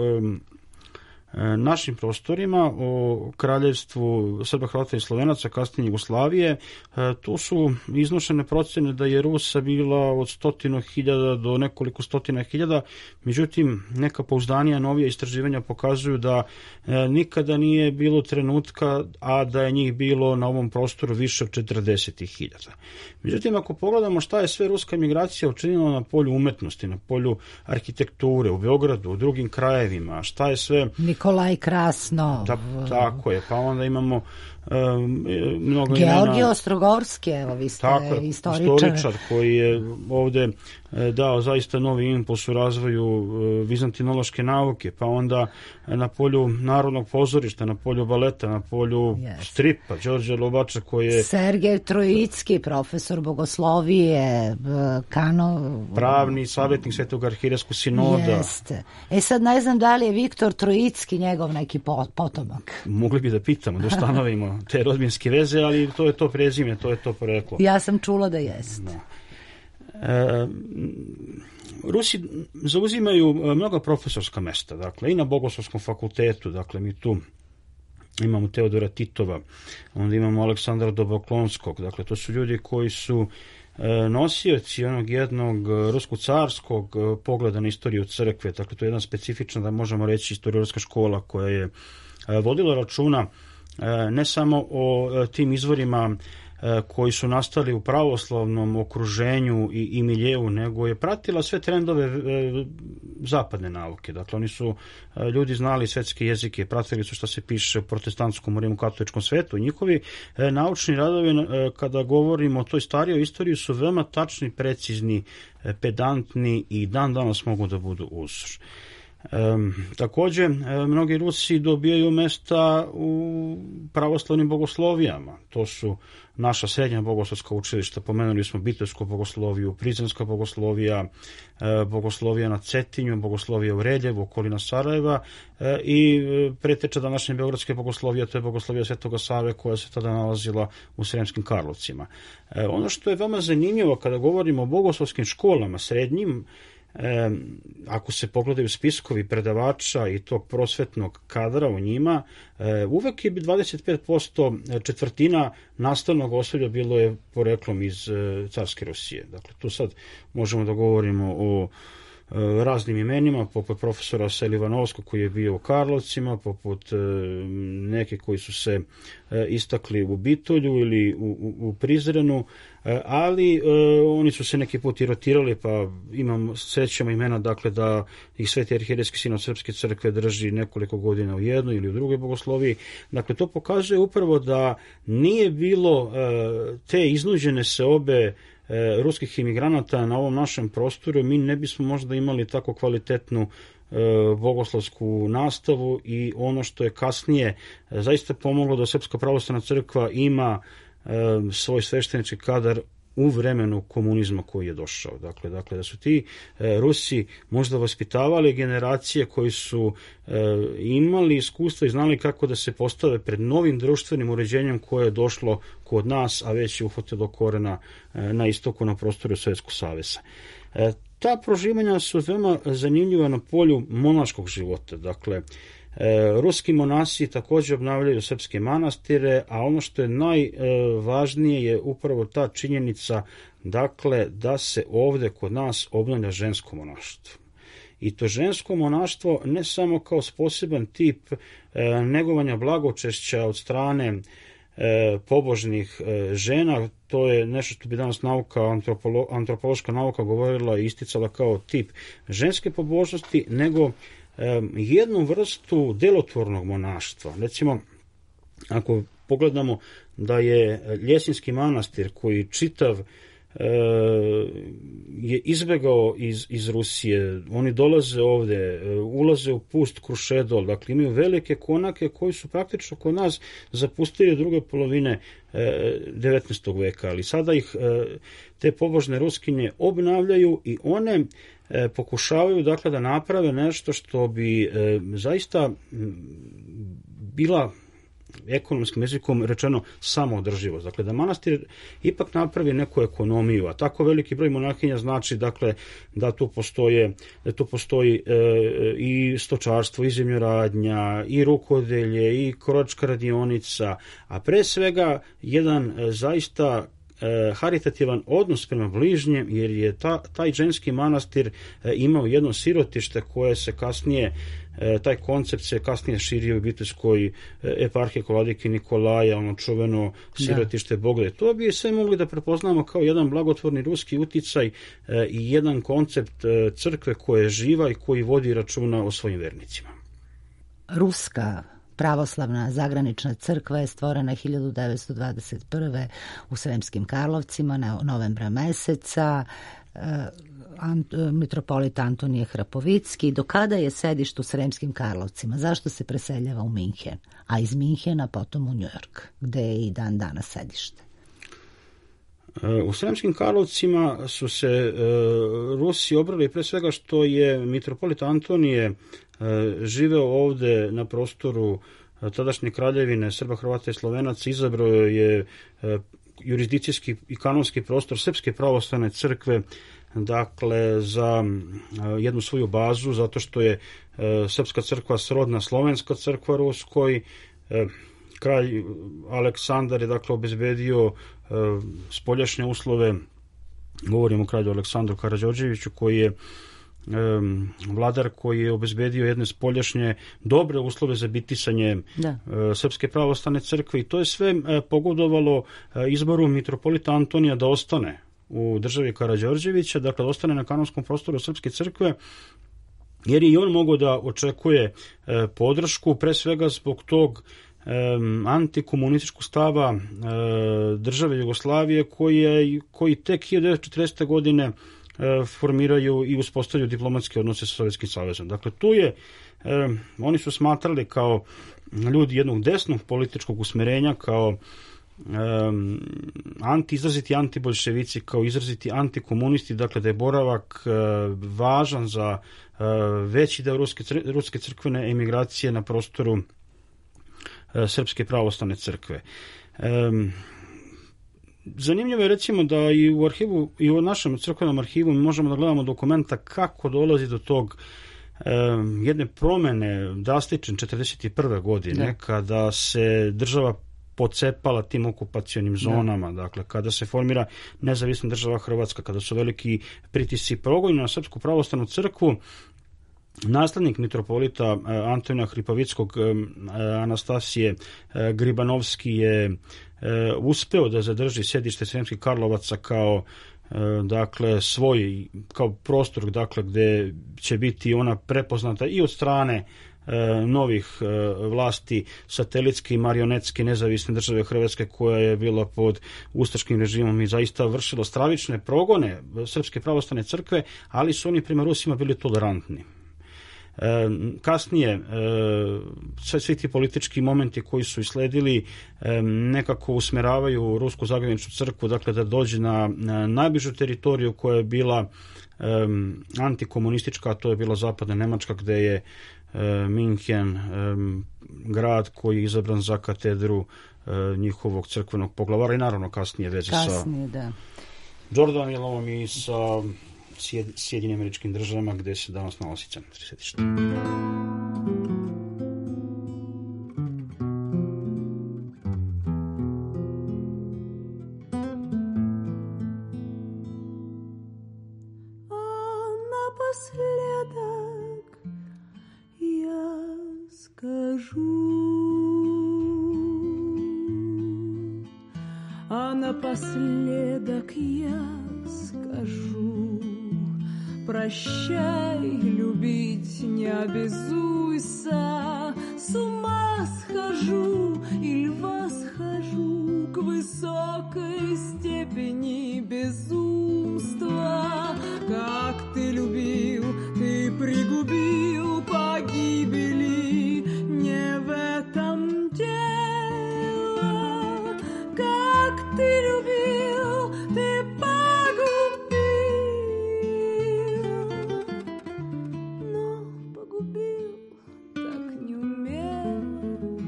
našim prostorima, o kraljevstvu Srba, Hrvata i Slovenaca, kasnije Jugoslavije, tu su iznošene procene da je Rusa bila od 100.000 do nekoliko 100.000, međutim neka pouzdanija novija istraživanja pokazuju da nikada nije bilo trenutka, a da je njih bilo na ovom prostoru više od 40.000. Međutim, ako pogledamo šta je sve ruska emigracija učinila na polju umetnosti, na polju arhitekture, u Beogradu, u drugim krajevima, šta je sve... Nikolaj Krasnov. Tako je, pa onda imamo mnogo Georgij imena. Ostrogorski, evo vi ste istoričar koji je ovde dao zaista novi impuls u razvoju vizantinološke nauke, pa onda na polju narodnog pozorišta, na polju baleta, na polju stripa, Đorđe Lobača koji je... Sergej Trojicki, profesor bogoslovije, pravni savjetnik Svetog arhijereskog sinoda. Jeste. Sad ne znam da li je Viktor Trojicki njegov neki potomak. Mogli bi da pitamo, da ustanovimo te rodbinske veze, ali to je to prezime, to je to poreklo. Ja sam čula da jeste. Rusi zauzimaju mnoga profesorska mesta, dakle i na Bogoslovskom fakultetu, dakle mi tu imamo Teodora Titova, onda imamo Aleksandra Doboklonskog, dakle to su ljudi koji su nosioci onog jednog rusko-carskog pogleda na istoriju crkve, dakle to je jedna specifična, da možemo reći, historiografska škola koja je vodila računa ne samo o tim izvorima koji su nastali u pravoslavnom okruženju i miljeu, nego je pratila sve trendove zapadne nauke. Dakle, oni su ljudi znali svetske jezike, pratili su šta se piše u protestantskom, rimokatoličkom svetu. Njihovi naučni radovi, kada govorimo o toj starijoj istoriji, su veoma tačni, precizni, pedantni i dan danas mogu da budu uzor. Također, mnogi Rusi dobijaju mesta u pravoslavnim bogoslovijama. To su naša srednja bogoslovska učilišta, pomenuli smo Bitevsku bogosloviju, Prizrenska bogoslovija, bogoslovija na Cetinju, bogoslovija u Reljevu, okolina Sarajeva i preteča današnje beogradske bogoslovije, to je bogoslovija Svetoga Save koja se tada nalazila u Sremskim Karlovcima. Ono što je veoma zanimljivo kada govorimo o bogoslovskim školama srednjim, ako se pogledaju spiskovi predavača i tog prosvetnog kadra u njima, uvek je 25% četvrtina nastavnog osoblja bilo je poreklom iz carske Rusije. Dakle, tu sad možemo da govorimo o raznim imenima, poput profesora Selivanovskog koji je bio u Karlovcima, poput neke koji su se istakli u Bitolju ili u Prizrenu, ali oni su se neki put i rotirali, pa srećemo imena, dakle, da ih Sveti arhijerejski sinod Srpske crkve drži nekoliko godina u jednoj ili u drugoj bogosloviji. Dakle, to pokazuje upravo da nije bilo te iznuđene seobe ruskih imigranata na ovom našem prostoru, mi ne bismo možda imali tako kvalitetnu bogoslovsku nastavu i ono što je kasnije zaista pomoglo da Srpska pravoslavna crkva ima svoj sveštenički kadar u vremenu komunizma koji je došao. Dakle, da su ti Rusi možda vaspitavali generacije koji su imali iskustva i znali kako da se postave pred novim društvenim uređenjem koje je došlo kod nas, a već je uhvatilo korena na istoku, na prostoru Sovjetskog saveza. Ta proživanja su veoma zanimljiva na polju monaškog života. Dakle, ruski monasi također obnavljaju srpske manastire, a ono što je najvažnije je upravo ta činjenica, dakle, da se ovde kod nas obnavlja žensko monaštvo. I to žensko monaštvo ne samo kao poseban tip negovanja blagočešća od strane pobožnih žena, to je nešto što bi danas antropološka nauka govorila i isticala kao tip ženske pobožnosti, nego jednu vrstu delotvornog monaštva. Recimo, ako pogledamo da je Ljesinski manastir koji čitav je izbegao iz Rusije, oni dolaze ovde, ulaze u pust Krušedol, dakle imaju velike konake koji su praktično kod nas zapustili druge polovine 19. veka, ali sada ih te pobožne ruskinje obnavljaju i one pokušavaju, dakle, da naprave nešto što bi zaista bila ekonomskim jezikom rečeno samoodrživost. Dakle, da manastir ipak napravi neku ekonomiju, a tako veliki broj monahinja znači, dakle, da tu postoji i stočarstvo, i zemljoradnja, i rukodelje, i krojačka radionica, a pre svega jedan zaista haritativan odnos prema bližnjem, jer je taj ženski manastir imao jedno sirotište koje se kasnije, taj koncept se kasnije širio u Bitevskoj eparhiji kod vladike Nikolaja, ono čuveno sirotište Boglje. To bi sve mogli da prepoznamo kao jedan blagotvorni ruski uticaj i jedan koncept crkve koja je živa i koji vodi računa o svojim vernicima. Ruska pravoslavna zagranična crkva je stvorena 1921. u Sremskim Karlovcima novembra meseca. Mitropolit Antonije Hrapovicki. Do kada je sedište u Sremskim Karlovcima? Zašto se preseljava u Minhen? A iz Minhena potom u Njujork, gde je i dan danas sedište. U Sremskim Karlovcima su se Rusi obrali pre svega što je mitropolit Antonije živeo ovde na prostoru tadašnje kraljevine Srba, Hrvata i Slovenaca, izabrao je jurisdikcijski i kanonski prostor Srpske pravoslavne crkve, dakle, za jednu svoju bazu, zato što je Srpska crkva srodna Slovenska crkva Ruskoj. Kralj Aleksandar je, dakle, obezbedio spoljašnje uslove, govorimo o kralju Aleksandru Karađorđeviću, koji je vladar koji je obezbedio jedne spoljašnje dobre uslove za bitisanje Srpske pravoslavne crkve, i to je sve pogodovalo izboru mitropolita Antonija da ostane u državi Karađorđevića, dakle ostane na kanonskom prostoru Srpske crkve, jer je i on mogao da očekuje podršku, pre svega zbog tog antikomunističkog stava države Jugoslavije koji tek 1940. godine formiraju i uspostavljaju diplomatske odnose sa Sovjetskim savezom. Dakle, tu je, oni su smatrali kao ljudi jednog desnog političkog usmerenja, kao izraziti antibolševici, kao izraziti antikomunisti, dakle da je boravak važan za veći deo ruske crkvene emigracije na prostoru Srpske pravoslavne crkve. Zanimljivo je recimo da i u arhivu, i u našem crkvenom arhivu mi možemo da gledamo dokumenta kako dolazi do tog jedne promene drastične 1941. godine, kada se država pocepala tim okupacionim zonama, dakle kada se formira nezavisna država Hrvatska, kada su veliki pritisci progoni na Srpsku pravoslavnu crkvu. Naslednik mitropolita Antonija Hripavickog, Anastasije Gribanovski, je uspeo da zadrži sjedište Sremskih Karlovaca kao dakle svoj, kao prostor, dakle gde će biti ona prepoznata i od strane novih vlasti satelitske i marionetske nezavisne države Hrvatske, koja je bila pod ustaškim režimom i zaista vršila stravične progone Srpske pravoslavne crkve, ali su oni prema Rusima bili tolerantni. Kasnije svi ti politički momenti koji su isledili nekako usmeravaju Rusku zagraničnu crkvu, dakle da dođe na najbližu teritoriju koja je bila antikomunistička, a to je bila zapadna Nemačka, gde je Minhen grad koji je izabran za katedru njihovog crkvenog poglavara i naravno kasnije veze sa Jordanilom i sa Sjedinjenim Američkim Državama, gde se danas nalazi centar sedišta. Напоследок я скажу: прощай, любить не обязуйся. С ума схожу или восхожу к высокой степени безумства. Как ты любил, ты пригубил погибели, не в этом дело. Как ты любил, ты погубил, но погубил так неумело.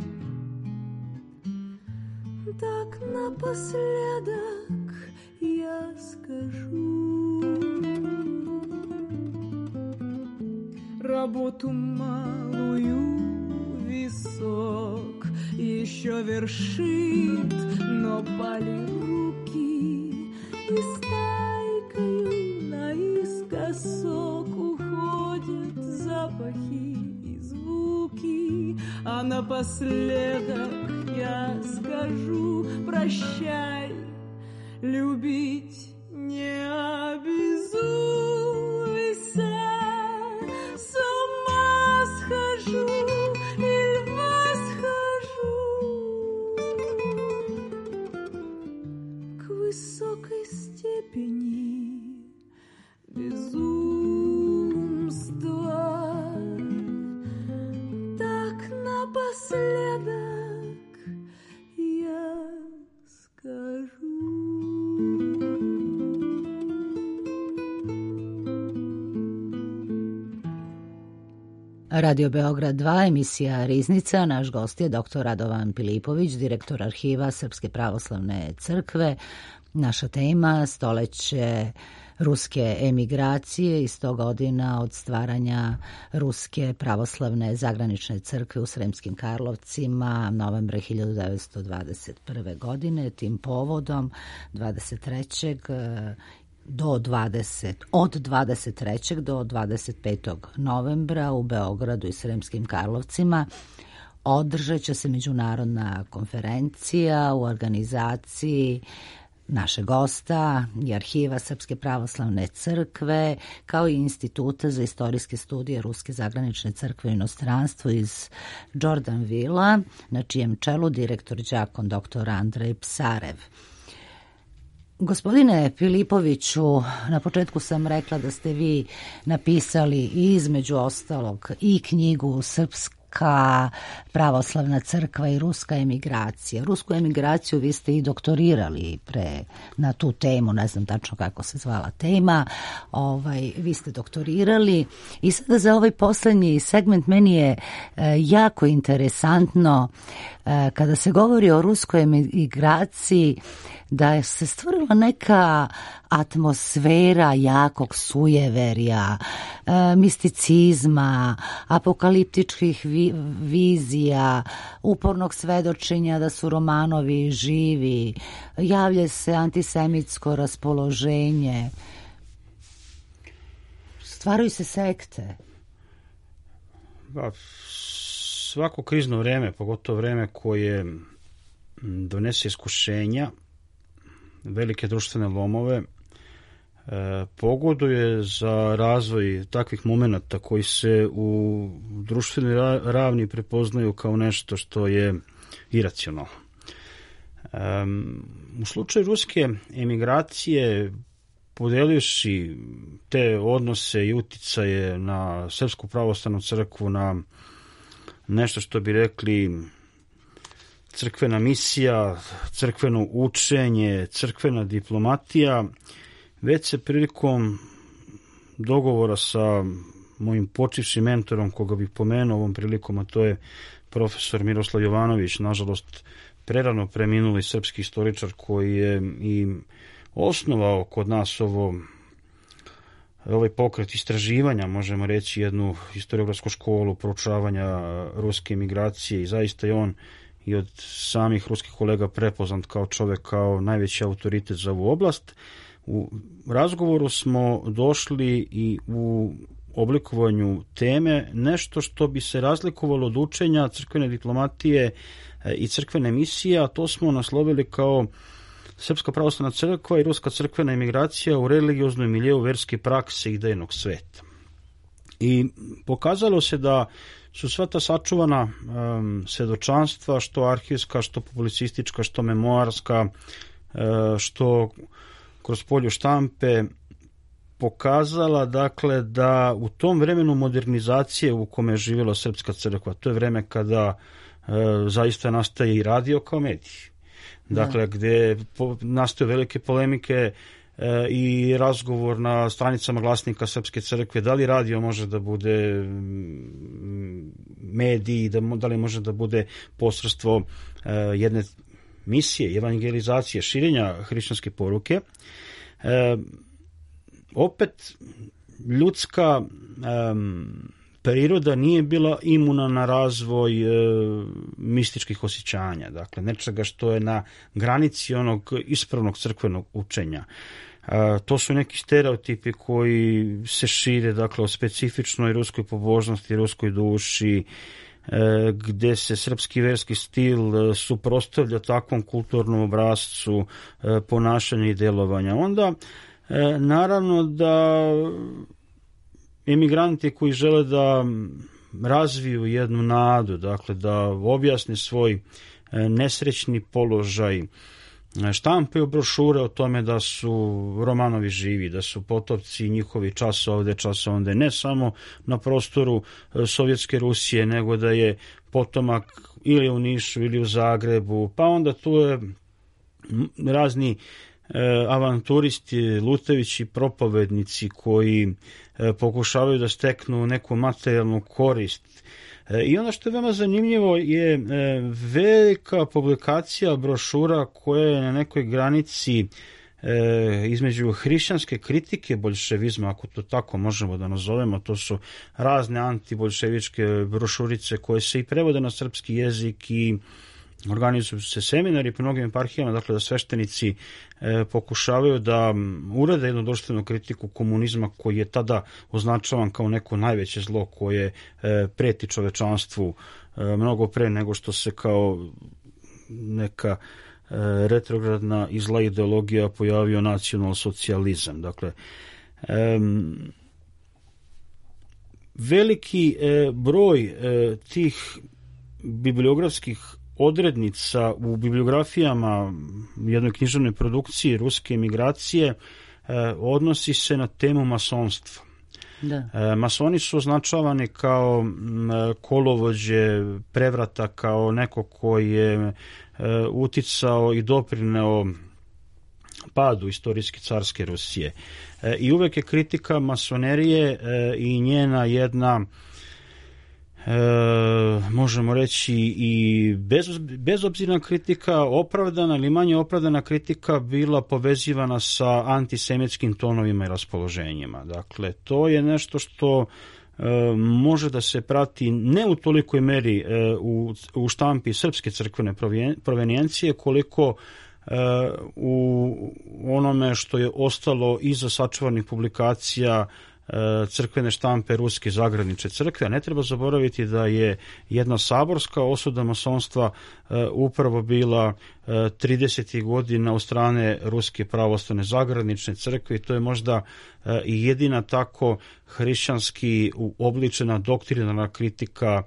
Так напоследок я скажу: работу малую висок еще вершит, но пали руки, и стайкою наискосок уходят запахи и звуки. А напоследок я скажу: прощай, любить не обязуйся. С ума схожу или восхожу к высокой степени безумства. Так напоследок я скажу. Radio Beograd 2, emisija Riznica. Naš gost je dr. Radovan Pilipović, direktor arhiva Srpske pravoslavne crkve. Naša tema: stoleće ruske emigracije i 100 godina od stvaranja Ruske pravoslavne zagranične crkve u Sremskim Karlovcima novembra 1921. godine. Tim povodom 23. od 23. do 25. novembra u Beogradu i Sremskim Karlovcima održat će se međunarodna konferencija u organizaciji našeg gosta i arhiva Srpske pravoslavne crkve, kao i Instituta za istorijske studije Ruske zagranične crkve u inostranstvu iz Jordanvilla, na čijem čelu direktor đakon dr. Andrej Psarev. Gospodine Filipoviću, na početku sam rekla da ste vi napisali između ostalog i knjigu Srpska pravoslavna crkva i ruska emigracija. Rusku emigraciju vi ste i doktorirali na tu temu, ne znam tačno kako se zvala tema, vi ste doktorirali i sada za ovaj poslednji segment meni je jako interesantno kada se govori o ruskoj emigraciji, da se stvorila neka atmosfera jakog sujeverja, misticizma, apokaliptičkih vizija, upornog svedočenja da su Romanovi živi, javlja se antisemitsko raspoloženje, stvaraju se sekte. Svako krizno vreme, pogotovo vreme koje donese iskušenja, velike društvene lomove, pogoduje za razvoj takvih momenata koji se u društvenoj ravni prepoznaju kao nešto što je iracionalno. U slučaju ruske emigracije, podelivši te odnose i uticaje na Srpsku pravoslavnu crkvu, na nešto što bi rekli crkvena misija, crkveno učenje, crkvena diplomatija, već se prilikom dogovora sa mojim počivšim mentorom, koga bih pomenuo ovom prilikom, a to je profesor Miroslav Jovanović, nažalost prerano preminuli srpski istoričar koji je i osnovao kod nas ovaj pokret istraživanja, možemo reći jednu historiografsku školu proučavanja ruske emigracije, i zaista je on i od samih ruskih kolega prepoznat kao čovek, kao najveći autoritet za ovu oblast. U razgovoru smo došli i u oblikovanju teme nešto što bi se razlikovalo od učenja crkvene diplomatije i crkvene misije, a to smo naslovili kao Srpska pravoslavna crkva i ruska crkvena emigracija u religioznoj miljeu verske prakse i idejnog sveta. I pokazalo se da su sva ta sačuvana svedočanstva, što arhivska, što publicistička, što memoarska, što kroz polju štampe, pokazala dakle da u tom vremenu modernizacije u kome je živjela Srpska crkva, to je vreme kada zaista nastaje i radio kao medij. Dakle, gde nastaju velike polemike i razgovor na stranicama glasnika Srpske crkve, da li radio može da bude medij, da li može da bude posredstvo jedne misije, evangelizacije, širenja hrišćanske poruke. Opet, ljudska priroda nije bila imuna na razvoj mističkih osjećanja, dakle nečega što je na granici onog ispravnog crkvenog učenja. To su neki stereotipi koji se šire, dakle, o specifičnoj ruskoj pobožnosti, ruskoj duši, gde se srpski verski stil suprotstavlja takvom kulturnom obrascu ponašanja i delovanja. Onda, naravno da emigranti koji žele da razviju jednu nadu, dakle da objasne svoj nesrećni položaj, štampaju brošure o tome da su Romanovi živi, da su potomci njihovi čas ovde, ne samo na prostoru Sovjetske Rusije, nego da je potomak ili u Nišu ili u Zagrebu, pa onda tu je razni avanturisti, lutajući propovednici koji pokušavaju da steknu neku materijalnu korist. I ono što je veoma zanimljivo je velika publikacija brošura koja je na nekoj granici između hrišćanske kritike boljševizma, ako to tako možemo da nazovemo. To su razne antiboljševičke brošurice koje se i prevode na srpski jezik i organizuju se seminari po mnogim eparhijama, dakle da sveštenici pokušavaju da urade jednu društvenu kritiku komunizma koji je tada označavan kao neko najveće zlo koje preti čovečanstvu mnogo pre nego što se kao neka retrogradna i zla ideologija pojavio nacionalsocijalizam. Dakle, veliki broj tih bibliografskih odrednica u bibliografijama jednoj književnoj produkciji ruske emigracije odnosi se na temu masonstva. Da. Masoni su označavani kao kolovođe prevrata, kao neko koji je uticao i doprineo padu istorijske carske Rusije. I uvek je kritika masonerije i njena jedna, možemo reći, i bezobzirna kritika, opravdana ili manje opravdana kritika, bila povezivana sa antisemitskim tonovima i raspoloženjima. Dakle, to je nešto što može da se prati ne u tolikoj meri u štampi srpske crkvene provenijencije, koliko u onome što je ostalo iza sačuvanih publikacija crkvene štampe Ruske zagradničke crkve. A ne treba zaboraviti da je jedna saborska osuda masonstva upravo bila 30. godina od strane Ruske pravoslavne zagradnične crkve, i to je možda i jedina tako hrišćanski uobličena doktrinarna kritika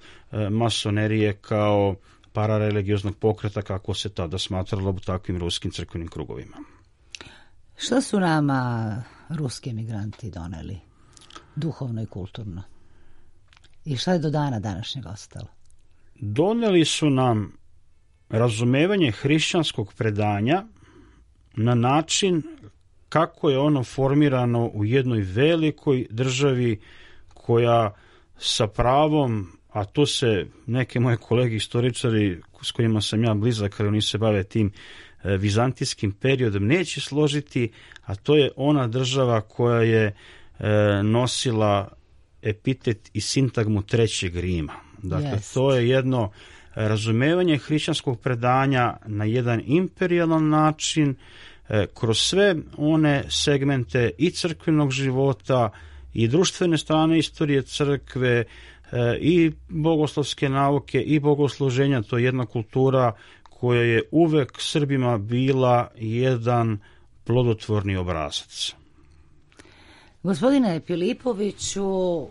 masonerije kao parareligioznog pokreta, kako se tada smatralo u takvim ruskim crkvenim krugovima. Što su nama ruski emigranti doneli duhovno i kulturno? I šta je do dana današnjeg ostalo? Doneli su nam razumevanje hrišćanskog predanja na način kako je ono formirano u jednoj velikoj državi koja sa pravom, a tu se neke moje kolege istoričari s kojima sam ja blizak, ali oni se bave tim vizantijskim periodom, neće složiti, a to je ona država koja je nosila epitet i sintagmu Trećeg Rima. Dakle, to je jedno razumevanje hrišćanskog predanja na jedan imperijalan način, kroz sve one segmente i crkvenog života i društvene strane istorije crkve i bogoslovske nauke i bogosluženja. To je jedna kultura koja je uvek Srbima bila jedan plodotvorni obrazac. Gospodine Pilipoviću,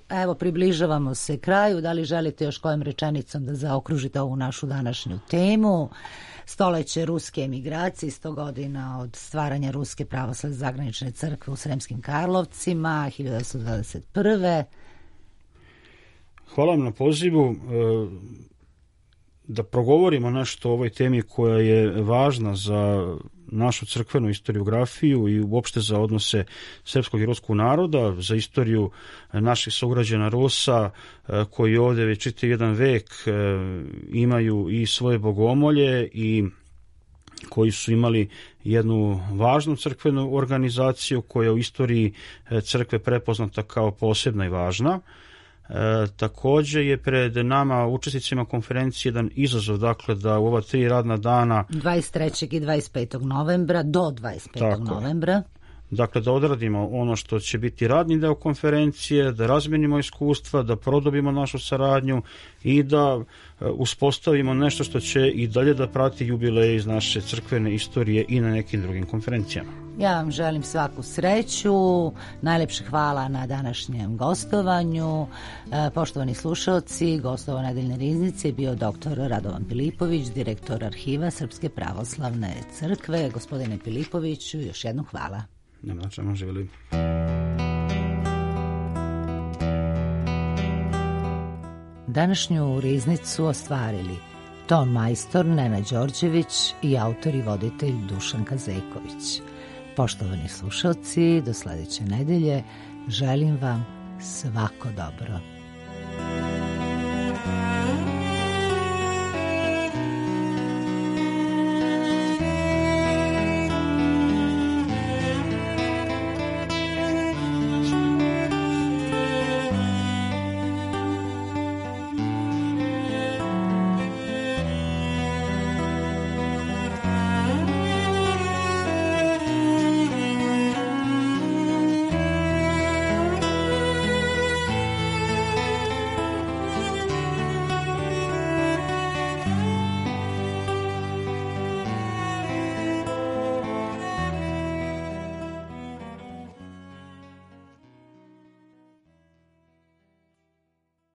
evo približavamo se kraju. Da li želite još kojom rečenicom da zaokružite ovu našu današnju temu? Stoleće ruske emigracije, 100 godina od stvaranja Ruske pravoslavne zagranične crkve u Sremskim Karlovcima, 1921. Hvala vam na pozivu da progovorimo nešto o ovoj temi koja je važna za našu crkvenu historiografiju i uopšte za odnose srpskog i ruskog naroda, za istoriju naših sugrađana Rusa koji ovdje već čitav jedan vek imaju i svoje bogomolje i koji su imali jednu važnu crkvenu organizaciju koja u istoriji crkve prepoznata kao posebna i važna. Također je pred nama, učesnicima konferencije, jedan izazov, dakle, da u ova 3 radna dana 23. i 25. novembra do 25. novembra, dakle, da odradimo ono što će biti radni deo konferencije, da razmenimo iskustva, da produbimo našu saradnju i da uspostavimo nešto što će i dalje da prati jubileje iz naše crkvene istorije i na nekim drugim konferencijama. Ja vam želim svaku sreću, najlepše hvala na današnjem gostovanju. Poštovani slušalci, gostova Nedeljne riznice je bio dr. Radovan Pilipović, direktor arhiva Srpske pravoslavne crkve. Gospodine Pilipoviću, još jednom hvala. Nema na čemu, želim. Današnju riznicu ostvarili ton majstor Nenad Đorđević i autor i voditelj Dušan Kazeković. Poštovani slušalci, do sledeće nedelje želim vam svako dobro.